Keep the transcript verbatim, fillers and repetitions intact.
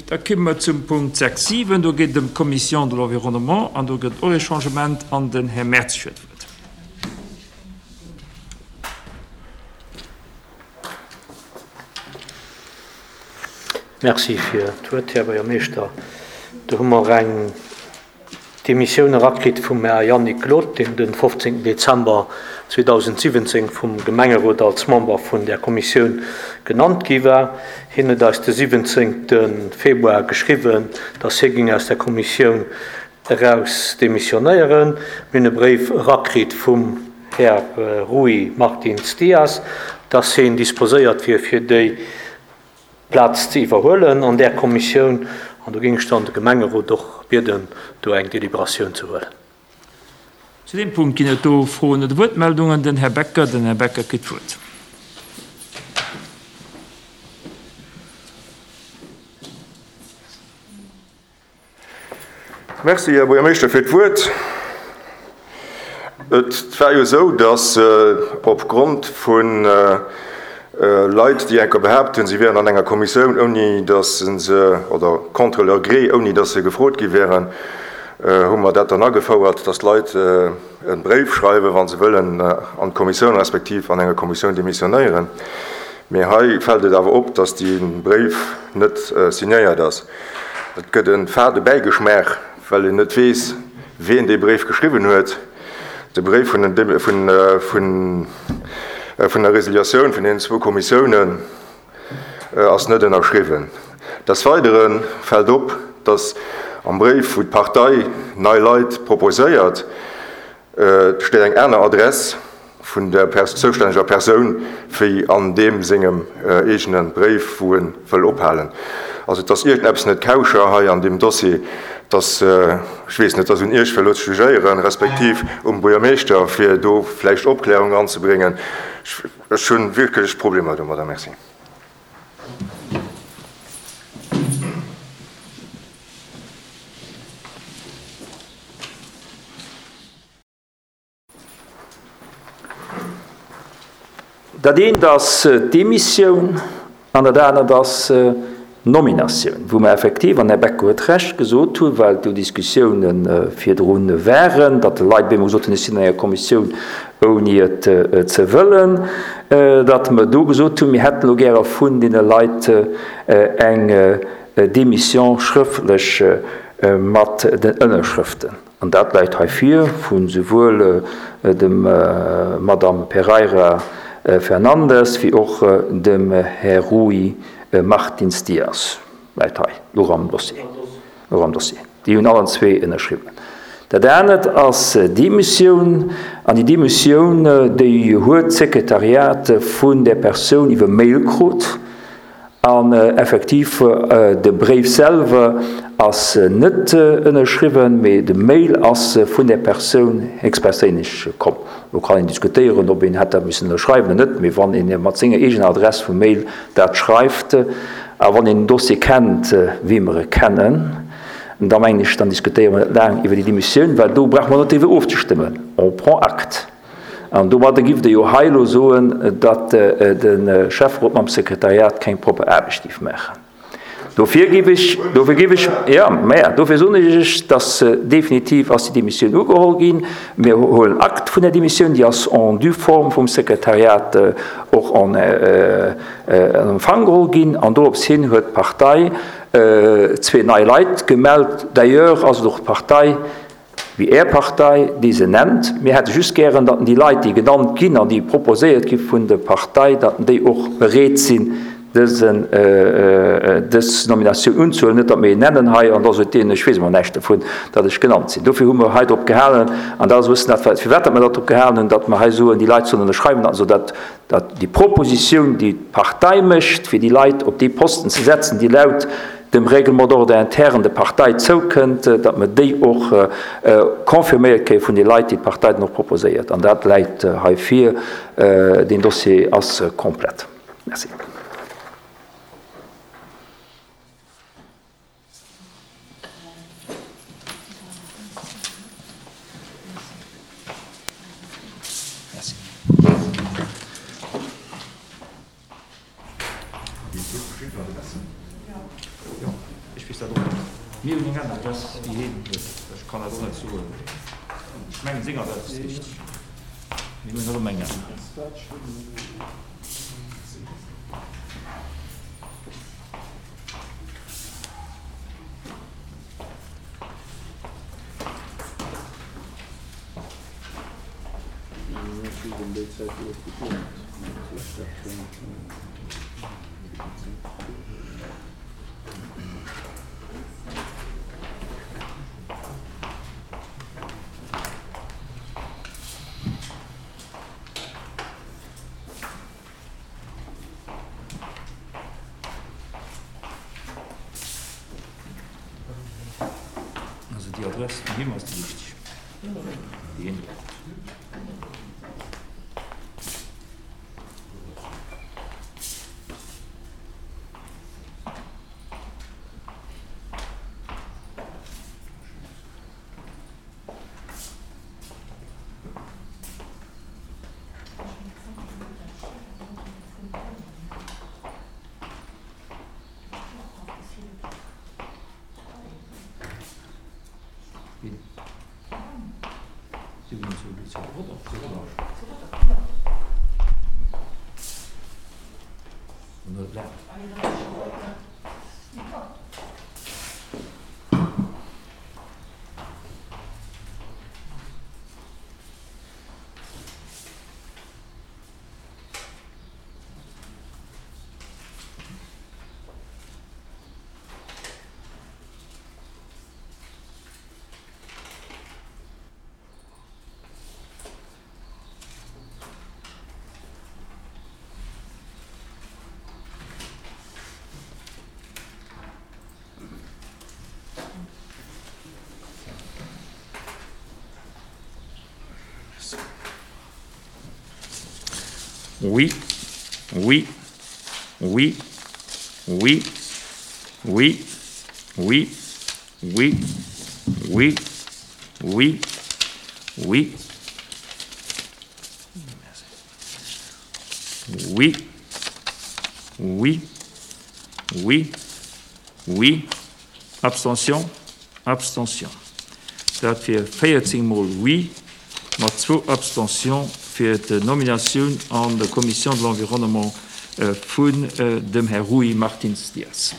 Da komme mer zum Punkt sechs, siwen. Do geet et ëm d'Commission de l'Environnement an do gëtt och e Changement an den Här Mertz huet d'Wuert. Merci fir d'Wuert, Här Buergermeeschter. Do hu mer eng Demissioun erakritt vum Här Yannick Glod, deen de fofzéngten Dezember zweedausendsiwwenzéng vum Gemengerot als Member vun där Kommissioun genannt gi war. Hien huet eis de siwwenzéngte Februar geschriwwen, dass hie géing aus der Kommissioun eraus demissionéieren. Mir hunn e Bréif erakritt vum Här Rui Martins Dias, dass hien disposéiert wier, fir déi Plaz ze iwwerhuelen an där Kommissioun. An do géing ech dann de Gemengerot och bieden, do eng Deliberatioun ze huelen. Zu deem Punkt ginn et do Froen oder Wuertmeldungen. Den Här Becker, den Här Becker kritt d'Wuert. Merci, Här Buergermeeschter, fir d'Wuert. Et war jo esou, dass opgrond vu Leit, déi enker behaapt hunn, si wären an enger Kommissioun, ouni dass se, oder contre leur gré, ouni dass se gefrot gi wären, hu mer dat dann agefouert, dass d'Leit e Bréif schreiwen, wa se wëllen an d'Kommissioun respektiv an enger Kommissioun demissionéieren. Mee hei fält et awer op, dass dee Bréif net signéiert ass. Et gëtt e fade Bäigeschmaach, well een net weess, wien dee Bréif geschriwwen huet. De Bréif vun den, vun, vun, vun der Resiliatioun vun deenen zwou Kommissiounen ass net ënnerschriwwen. Des Weidere fält op, dass am Bréif, wou d'Partei nei Leit proposéiert, steet eng aner Adress vun der zoustänneger Persoun wéi an deem sengem eegene Bréif, wou e wëll ophalen. Also et ass iergendeppes net kauscher hei an deem Dossier. Dass, ech weess net, dass un Iech fir elo ze jugéieren, respektiv um Buergermeeschter, fir do vläicht Opklärung eranzebréngen. Ech hu wierklech Problemer domadder. Merci. Dat eent ass d'Demissioun an dat anert ass d'Nominatioun, wou mer effektiv, an Här Becker huet Recht, gesot hunn, well do Diskussiounen virdrun waren, datt de Leit op eemol gesot hunn, ech sinn an enger Kommissioun, ouni et ze wëllen, datt mer do gesot hunn, mir hätten elo gäre vun deene Leit eng Démission schrëftlech mat den Ënnerschrëften. An dat läit hei vir vu souwuel dem Madame Pereira Fernandes wéi och dem Här Rui Martins Dias. Läit hei och am Dossier. Och am Dossier. Déi hunn allen zwee ënnerschriwwen. Dat anert ass d'Demissioun. An déi Demissioun, déi huet d'Sekretariat vun där Persoun iwwer Mail krut. An effektiv, de Bréif selwer ass net ënnerschriwwen, mee de Mail ass vun där Persoun héchstperséinlech komm. Lo kann een diskutéieren, ob een hätt dat missen ënnerschreiwen oder net, mee wann een mat senger eegener Adress vum Mail dat schreift a wann een den Dossier kennt, wéi mer e kennen, da mengen ech, dann diskutéiere mer net laang iwwer déi Demissioun, well do brauche mer net driwwer ofzestëmmen. On prend acte. An domadder giff Der jo hei elo soen, datt de Schäfferot mam Sekretariat keng propper Aarbecht giff maachen. Dofir giff ech, dofir giff ech, jo, mä dofir soen ech Iech, datt definitiv ass déi Demissioun ugeholl ginn. Mir huelen Akt vun där Demissioun, déi ass en due forme vum Sekretariat och en Empfang geholl ginn. An dorops hin huet d'Partei zwee nei Leit gemellt. D'ailleurs ass et och d'Partei, wéi Är Partei, déi se nennt. Mir hätte just gären, datt déi Leit, déi genannt ginn an déi proposéiert gi vun der Partei, datt déi och bereet sinn, dësen, dës Nominatioun unzehuelen. Net, datt mir een nennen hei an da sot deen, ech weess emol näischt dovun, datt ech genannt sinn. Dofir hu mer hei drop gehalen, an dat ass e bëssen dat, firwat datt mer dat drop gehalen hunn, datt mer hei soen, déi Leit sollen ënnerschreiwen, also datt datt déi Propositioun, déi d'Partei mécht, fir déi Leit op dee Posten ze setzen, déi laut dem Règlement d'ordre interne der Partei zoukënnt, datt mer déi och confirméiert kréie vun de Leit, déi d'Partei dann och proposéiert. An dat läit hei vir. Deen Dossier ass komplett. Merci. Ech weess dat och net. Mir hunn eng aner Adress wéi hien huet. Ech kann dat och net soen. Ech mengen, seng Adress ass richteg. Mir hunn erëm eng aner. Also déi Adress vun him ass déi richteg, déi hien huet. Oui, oui, oui, oui, oui, oui, oui, oui, oui, oui, oui, oui, oui, oui, Abstention, Abstention. Dat wier véierzéng mol Oui mat zwou Abstention fir d'Nominatioun an der Commission de l'Environnement vun dem Här Rui Martins Dias.